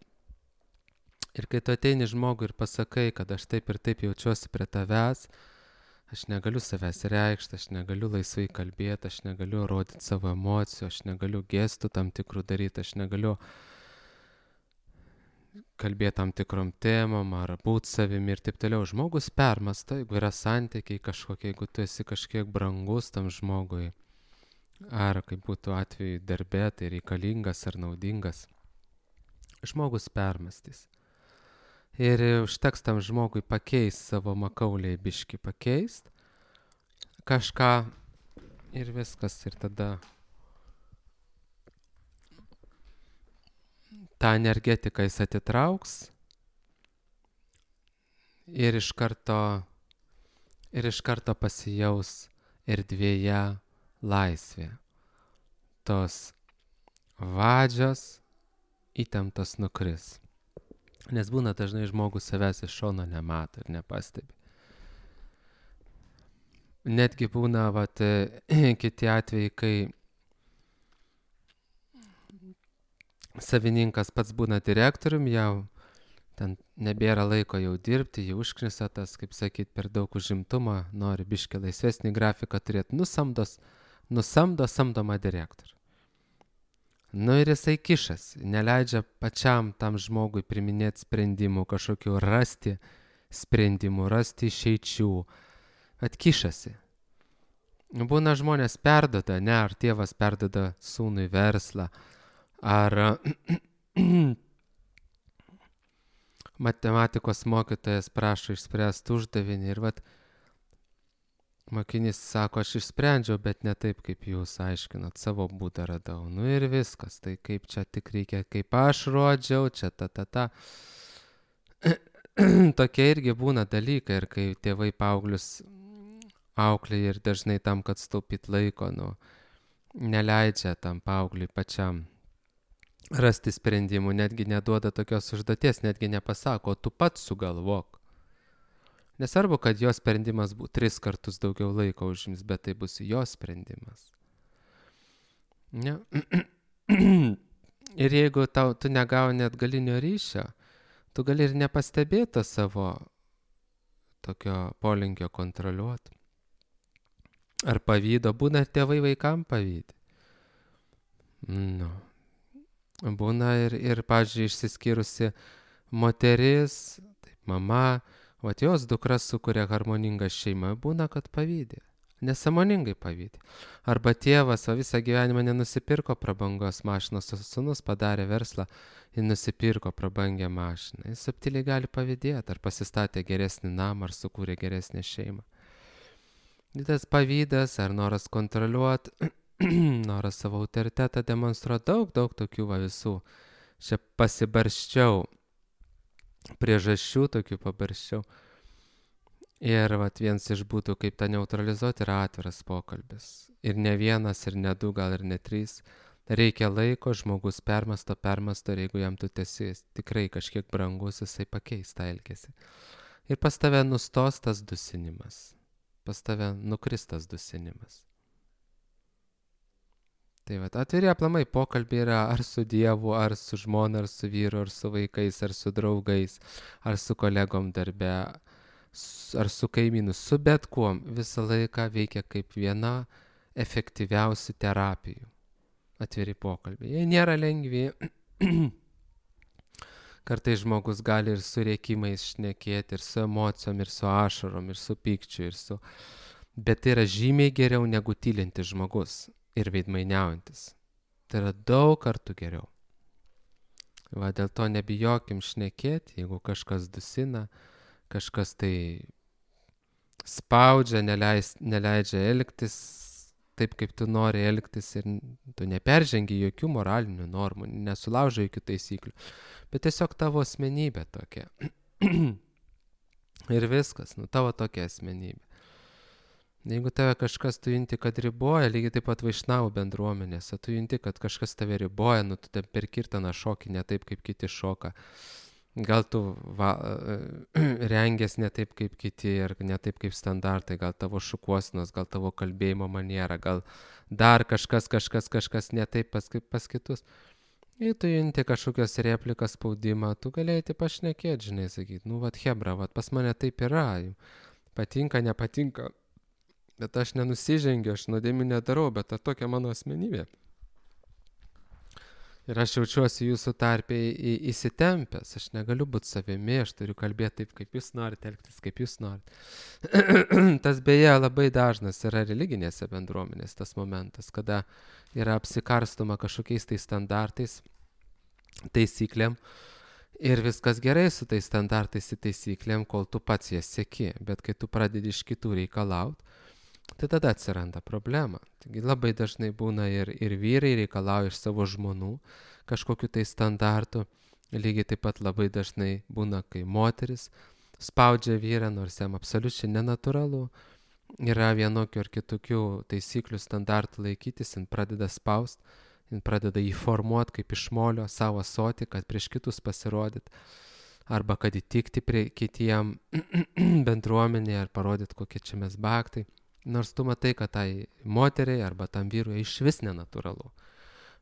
Speaker 1: Ir kai tu ateini žmogui ir pasakai, kad aš taip ir taip jaučiuosi prie tavęs, aš negaliu savęs reikšti, aš negaliu laisvai kalbėti, aš negaliu rodyti savo emocijų, aš negaliu gestų tam tikrų daryti, aš negaliu kalbėti tam tikrom temom ar būti savimi ir taip toliau. Žmogus permasta, jeigu yra santykiai kažkokie, jeigu tu esi kažkiek brangus tam žmogui, ar kaip būtų atveju darbe, tai reikalingas ar naudingas, žmogus permastys. Ir užteks tam žmogui pakeist savo makauliai biškį pakeist kažką ir viskas. Ir tada tą energetiką jis atitrauks ir iš karto, ir iš karto pasijaus erdvėje laisvė. Tos vadžios, įtemptos nukris. Nes būna dažnai žmogus savęs iš šono nemato ir nepastebi. Netgi būna vat, kiti atvejai, kai savininkas pats būna direktorium, jau ten nebėra laiko jau dirbti, jau užknisa tas, kaip sakyt, per daug užimtumo, nori biškį laisvesnį grafiką turėti, nusamdos, nusamdo samdomą direktorių. Nu ir jisai kišas, neleidžia pačiam tam žmogui priminėti sprendimų, kažkokių rasti sprendimų, rasti išeičių, atkišasi. Būna žmonės perduoda, ne, ar tėvas perduoda sūnui verslą, ar matematikos mokytojas prašo išspręsti uždavinį ir vat mokinys sako, aš išsprendžiau, bet ne taip, kaip jūs aiškinat, savo būdą radau. Nu ir viskas, tai kaip čia tik reikia, kaip aš rodžiau, čia ta ta ta. Tokie irgi būna dalykai, ir kai tėvai paauglius auklėja ir dažnai tam, kad staupyt laiko, nu, neleidžia tam paaugliui pačiam rasti sprendimų, netgi neduoda tokios užduoties, netgi nepasako, tu pats sugalvok. Nesvarbu, kad jo sprendimas būtų tris kartus daugiau laiko užims, bet tai bus jo sprendimas. Ne? Ir jeigu tau, tu negauni atgalinio ryšio, tu gali ir nepastebėti savo tokio polinkio kontroliuoti. Ar pavydo, būna ir tėvai vaikam pavydė. Nu. Būna ir, ir pavyzdžiui, išsiskyrusi moteris, taip, mama, o jos dukras sukuria harmoningą šeimą, būna, kad pavydė. Nesąmoningai pavydė. Arba tėvas o visą gyvenimą nenusipirko prabangos mašinos, o sūnus padarė verslą ir nusipirko prabangią mašiną. Jis subtiliai gali pavydėti, ar pasistatė geresnį namą, ar sukūrė geresnę šeimą. Tas pavydas, ar noras kontroliuoti, noras savo autoritetą demonstruoti, daug, daug tokių va visų. Čia pasibarščiau, priežasčių tokių pabarščiau. Ir vat vienas iš būtų, kaip tą neutralizuoti, yra atviras pokalbis. Ir ne vienas, ir ne du, gal ir ne trys. Reikia laiko, žmogus permasto, permasto, ir jeigu jam tu esi tikrai kažkiek brangus, jisai pakeis tą elgesį. Ir pas tave nustos tas dusinimas. Pas tave nukris tas dusinimas. Tai vat, atviri aplamai pokalbiai yra ar su Dievu, ar su žmona, ar su vyru, ar su vaikais, ar su draugais, ar su kolegom darbe, ar su kaimynu, su bet kuom. Visą laiką veikia kaip viena efektyviausių terapijų. Atviri pokalbiai. Jie nėra lengvi. Kartais žmogus gali ir su rėkimais šnekėti, ir su emocijom, ir su ašarom, ir su pykčiu, ir su... Bet tai yra žymiai geriau negu tylintis žmogus. Ir veidmainiaujantis. Tai yra daug kartų geriau. Va, dėl to nebijokim šnekėti, jeigu kažkas dusina, kažkas tai spaudžia, neleis, neleidžia elgtis taip, kaip tu nori elgtis ir tu neperžengi jokių moralinių normų, nesulaužai jokių taisyklių, bet tiesiog tavo asmenybė tokia. Ir viskas, nu tavo tokia asmenybė. Jeigu tave kažkas tu junti, kad riboja, lygiai taip pat vaišnavų bendruomenėse, tu junti, kad kažkas tave riboja, nu tu ten per kirtaną šokį ne taip, kaip kiti šoka. Gal tu va, rengies ne taip, kaip kiti ir ne taip, kaip standartai, gal tavo šukuosinos, gal tavo kalbėjimo maniera, gal dar kažkas, kažkas, kažkas ne taip pas, pas kitus. Jei tu junti kažkokios replikas spaudimą, tu galėjai pašnekėti, žinai, sakyti, nu vat hebra, vat pas mane taip yra, patinka, nepatinka. Bet aš nenusižengiu, aš nuodėmių nedarau, bet ta tokia mano asmenybė. Ir aš jaučiuosi jūsų tarpėje į, įsitempęs, aš negaliu būti savimi, aš turiu kalbėti taip, kaip jūs norite, elgtis, kaip jūs norite. Tas beje labai dažnas yra religinėse bendruomenės tas momentas, kada yra apsikarstoma kažkokiais tai standartais, taisyklėm. Ir viskas gerai su tais standartais ir taisyklėm, kol tu pats jas seki, bet kai tu pradedi iš kitų reikalauti, tai tada atsiranda problema. Taigi labai dažnai būna ir, ir vyrai reikalauja iš savo žmonų kažkokiu tai standartu. Lygiai taip pat labai dažnai būna, kai moteris spaudžia vyrą, nors jam absoliučiai nenatūralu. Yra vienokių ar kitokių taisyklių standartų laikytis, jin pradeda spaust jin pradeda jį formuoti kaip iš molio savo ąsotį, kad prieš kitus pasirodyt, arba kad įtikti prie kitiem bendruomenėje, ar parodyt, kokie čia mes baktai. Nors tu matai, kad tai moteriai arba tam vyrui iš vis nenatūralu.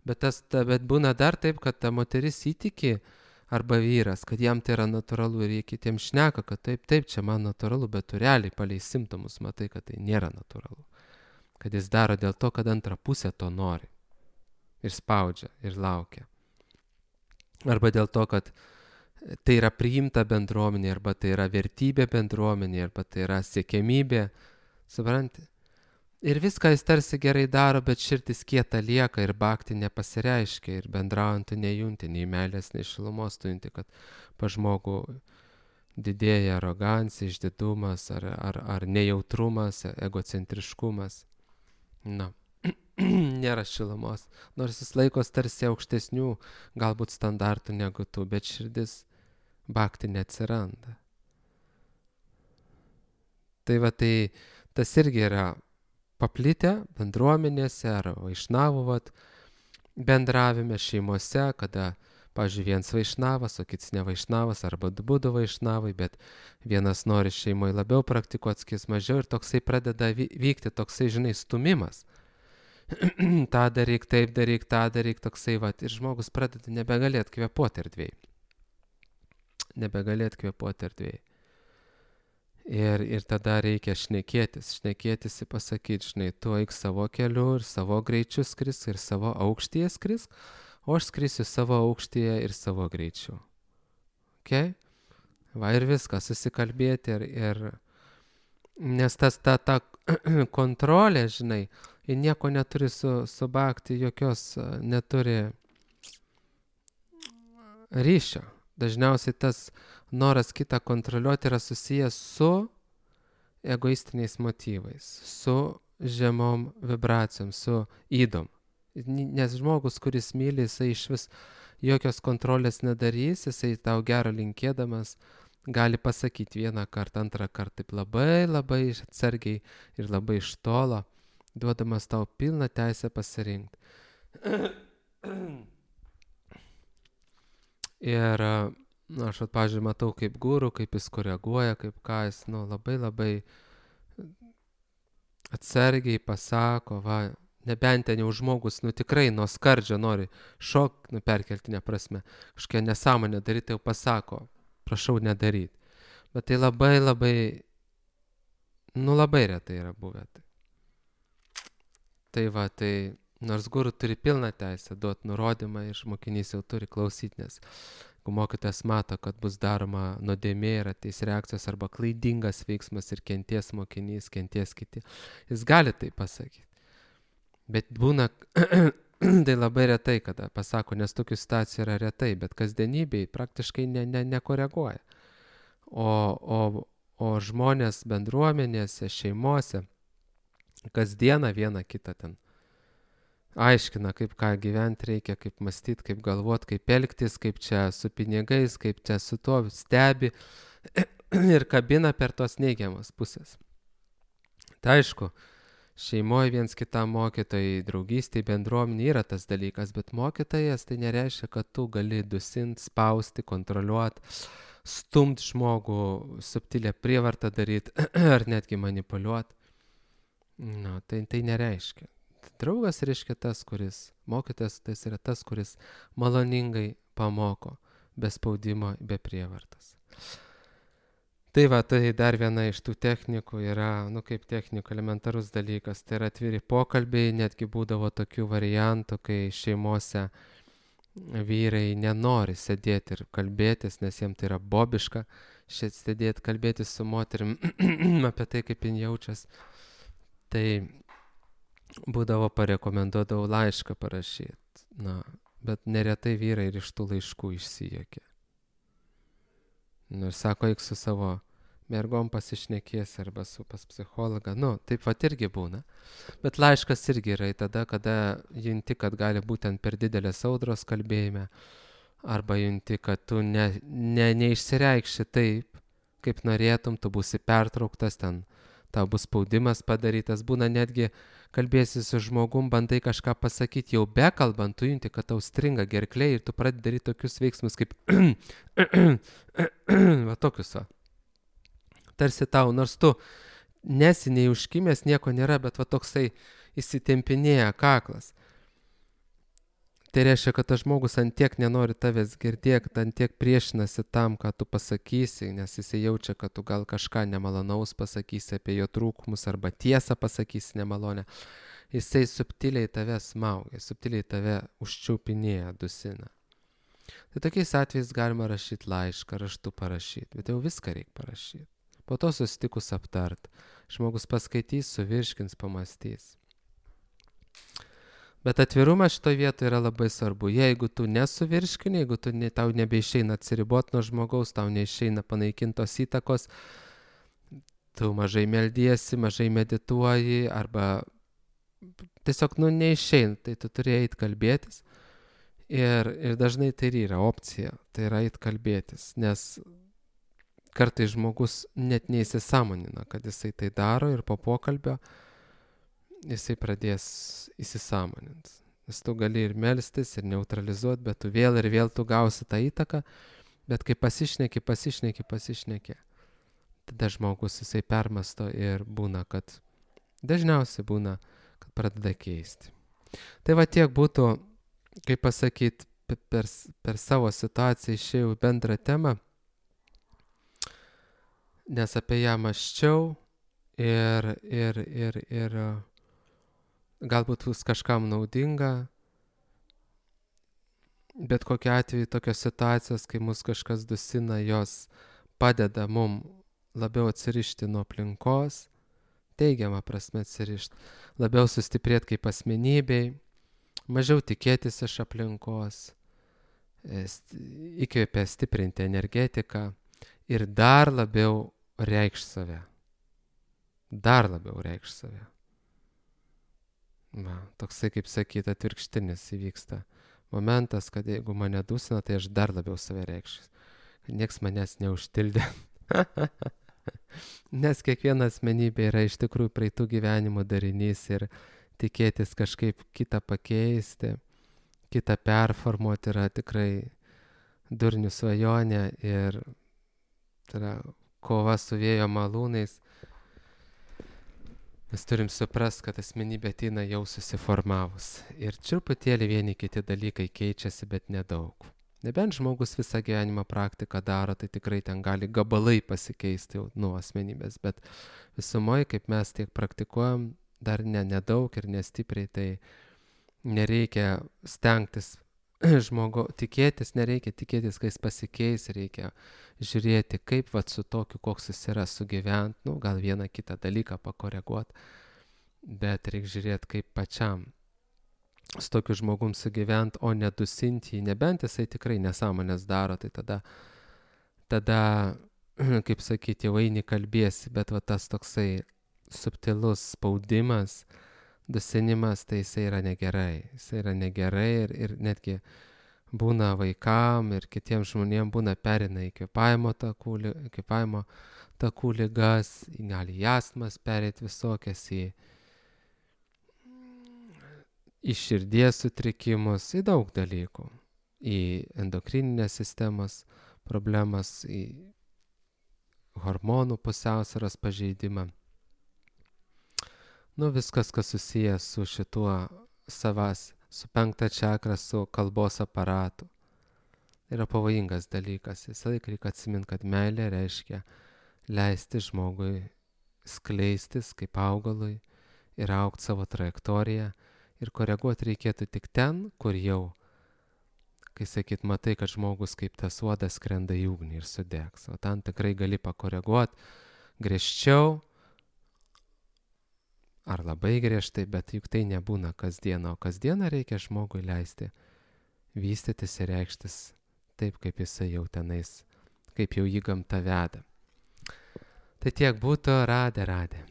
Speaker 1: Bet, tas, ta, bet būna dar taip, kad ta moteris įtiki, arba vyras, kad jam tai yra natūralu ir jie kitiems šneka, kad taip, taip, čia man natūralu, bet tu realiai palei simptomus matai, kad tai nėra natūralu. Kad jis daro dėl to, kad antra pusė to nori. Ir spaudžia, ir laukia. Arba dėl to, kad tai yra priimta bendruomenė, arba tai yra vertybė bendruomenė, arba tai yra siekiamybė. Supranti? Ir viską jis tarsi gerai daro, bet širdis kieta lieka ir bakti nepasireiškia ir bendraujant tu nejunti, nei meilės, nei šilumos tu junti, kad pa žmogų didėja arogancija, išdidumas ar, ar, ar nejautrumas, egocentriškumas. Na, nėra šilumos, nors jis laikos tarsi aukštesnių galbūt standartų negu tu, bet širdis bakti neatsiranda. Tai va, tai tas irgi yra paplitę bendruomenėse ar vaišnavų vat, bendravime šeimose, kada, pavyzdžiui, vienas vaišnavas, o kits ne vaišnavas, arba du būdu vaišnavai, bet vienas nori šeimoje labiau praktikuoti, kits mažiau ir toksai pradeda vykti toksai, žinai, stumimas. tą daryk, taip daryk, tą daryk, toksai, vat, ir žmogus pradeda nebegalėt kvėpuoti erdvėj. Nebegalėt kvėpuoti erdvėj. Ir, ir tada reikia šnekėtis, šnekėtis ir pasakyti, žinai, tu eik savo keliu ir savo greičiu skrisk ir savo aukštyje skrisk, o aš skrisiu savo aukštyje ir savo greičiu. Okay? Va ir viską, susikalbėti ir, ir nes tas ta, ta kontrolė, žinai, ji nieko neturi su, su bakti, jokios neturi ryšio. Dažniausiai tas noras kitą kontroliuoti yra susijęs su egoistiniais motyvais, su žemom vibracijom, su ydom. Nes žmogus, kuris myli, jisai iš vis jokios kontrolės nedarys, jisai tau gero linkėdamas gali pasakyti vieną kartą, antrą kartą taip labai, labai atsargiai ir labai iš tolo, duodamas tau pilną teisę pasirinkti. Ir, na, aš, pavyzdžiui, matau kaip guru, kaip jis koreguoja, kaip ką jis, nu, labai labai atsargiai pasako, va, nebent ten jau žmogus, nu, tikrai nuo skardžio nori šok, nu, perkeltinė prasme, kažkokia nesąmonė daryti, jau pasako, prašau nedaryti. Bet tai labai labai, nu, labai retai yra buvę. Tai va, tai nors guru turi pilną teisę duoti nurodymą ir mokinys jau turi klausyti, nes jeigu mokytojas mato, kad bus daroma nuodėmė ir ateis reakcijos arba klaidingas veiksmas ir kenties mokinys, kenties kiti, jis gali tai pasakyti. Bet būna, tai labai retai, kada pasako, nes tokių situacijų yra retai, bet kasdienybėj praktiškai ne, ne, nekoreguoja. O, o, o žmonės bendruomenėse, šeimose, kasdieną vieną kitą ten aiškina, kaip ką gyventi reikia, kaip mąstyti, kaip galvoti, kaip elgtis, kaip čia su pinigais, kaip čia su tuo stebi ir kabina per tos neigiamas pusės. Tai aišku, šeimoje viens kitam mokytojai, draugystėje, bendruomenė yra tas dalykas, bet mokytojas tai nereiškia, kad tu gali dusinti, spausti, kontroliuoti, stumti žmogų, subtilę prievartą daryti ar netgi manipuliuoti. No, tai, tai nereiškia. Draugas reiškia tas, kuris, mokytas, tas yra tas, kuris maloningai pamoko, be spaudimo, be prievartos. Tai va, tai dar viena iš tų technikų yra, nu kaip technikų, elementarus dalykas, tai yra atviri pokalbiai, netgi būdavo tokių variantų, kai šeimose vyrai nenori sėdėti ir kalbėtis, nes jiems tai yra bobiška, šiandien sėdėti, kalbėtis su moterim apie tai, kaip jin jaučias. Tai būdavo parekomenduodavau laišką parašyti, na, bet neretai vyrai ir iš tų laiškų išsijuokė. Nu ir sako, eik su savo mergom pasišnekės arba su pas psichologą, nu, taip vat irgi būna. Bet laiškas irgi yra tada, kada junti, kad gali būtent per didelės audros kalbėjime, arba junti, kad tu ne, ne, neišsireikši taip, kaip norėtum, tu būsi pertrauktas ten, tau bus spaudimas padarytas, būna netgi kalbėsi su žmogum, bandai kažką pasakyti, jau bekalbant, tu junti, kad tau stringa gerklė ir tu pradedi daryti tokius veiksmus kaip va tokius va. Tarsi tau, nors tu nesiniai užkimęs, nieko nėra, bet va toksai įsitempinėja kaklas. Tai reiškia, kad tas žmogus ant tiek nenori tavęs girdėti, ant tiek priešinasi tam, ką tu pasakysi, nes jis jaučia, kad tu gal kažką nemalonaus pasakysi apie jo trūkumus arba tiesą pasakysi nemalonę. Jisai subtiliai tave smaugia, subtiliai tave užčiaupinėja, dusina. Tai tokiais atvejais galima rašyti laišką, raštu parašyti, bet jau viską reikia parašyti. Po to susitikus aptart. Žmogus paskaitys, suvirškins, pamastys. Bet atvirumas šitoje vietoje yra labai svarbu. Jeigu tu nesuvirškini, jeigu tu ne, tau nebeišeina atsiriboti nuo žmogaus, tau neišeina panaikintos įtakos, tu mažai meldiesi, mažai medituoji, arba tiesiog nu, neišeina, tai tu turi eiti kalbėtis. Ir, ir dažnai tai yra opcija, tai yra eiti kalbėtis, nes kartais žmogus net neįsisąmonina, kad jisai tai daro ir po pokalbio jisai pradės įsisąmonint. Nes tu gali ir melstis, ir neutralizuoti, bet tu vėl ir vėl tu gausi tą įtaką, bet kai pasišneki, pasišneki, pasišneki, tada žmogus jisai permasto ir būna, kad dažniausiai būna, kad pradeda keisti. Tai va tiek būtų, kaip pasakyti, per, per savo situaciją išėjau bendrą temą, nes apie ją mąsčiau ir, ir, ir, ir galbūt bus kažkam naudinga, bet kokiu atveju tokios situacijos, kai mus kažkas dusina, jos padeda mum labiau atsirišti nuo aplinkos, teigiamą prasme atsirišti, labiau sustiprėti kaip asmenybei, mažiau tikėtis iš aplinkos, įkvėpia stiprinti energetiką ir dar labiau reikš save. Dar labiau reikš save. Va, toksai, kaip sakyti, atvirkštinis įvyksta momentas, kad jeigu mane dusina, tai aš dar labiau save reikščiau. Nieks manęs neužtildė. Nes kiekviena asmenybė yra iš tikrųjų praeitų gyvenimo darinys ir tikėtis kažkaip kitą pakeisti, kitą performuoti yra tikrai durnių svajonė ir tai yra kova su vėjo malūnais. Mes turim suprast, kad asmenybė ateina jau susiformavus. Ir truputėlį vieni kiti dalykai keičiasi, bet nedaug. Nebent žmogus visą gyvenimą praktiką daro, tai tikrai ten gali gabalai pasikeisti jau nuo asmenybės. Bet visumoje, kaip mes tiek praktikuojam, dar ne, nedaug ir nestipriai, tai nereikia stengtis žmogo, tikėtis, nereikia tikėtis, kai jis pasikeis, reikia žiūrėti, kaip vat su tokiu, koks jis yra, sugyvent, nu, gal vieną kitą dalyką pakoreguoti, bet reikia žiūrėti, kaip pačiam su tokiu žmogum sugyvent, o nedusinti jį, nebent jisai tikrai nesąmonės daro, tai tada, tada, kaip sakyti, jau eini kalbėsi, bet va tas toksai subtilus spaudimas, dusinimas, tai jisai yra negerai. Jisai yra negerai ir, ir netgi būna vaikam ir kitiems žmonėms būna perina į kvėpavimo takų, kvėpavimo takų ligas, gali į astmas perėti visokias, į, į širdies sutrikimus, į daug dalykų, į endokrininės sistemos problemas, į hormonų pusiausvyros pažeidimą. Nu, viskas, kas susijęs su šituo savas, su penkta čakra, su kalbos aparatu. Yra pavojingas dalykas. Visą laiką reikia atsiminti, kad meilė reiškia leisti žmogui skleistis kaip augalui ir augti savo trajektoriją. Ir koreguoti reikėtų tik ten, kur jau, kai sakyt, matai, kad žmogus kaip tas uodas skrenda į ugnį ir sudegs. O ten tikrai gali pakoreguoti griežčiau, ar labai griežtai, bet juk tai nebūna kasdieną, o kasdieną reikia žmogui leisti vystytis ir reikštis taip, kaip jisai jau tenais, kaip jau jį gamta veda. Tai tiek būtų, radė, radė.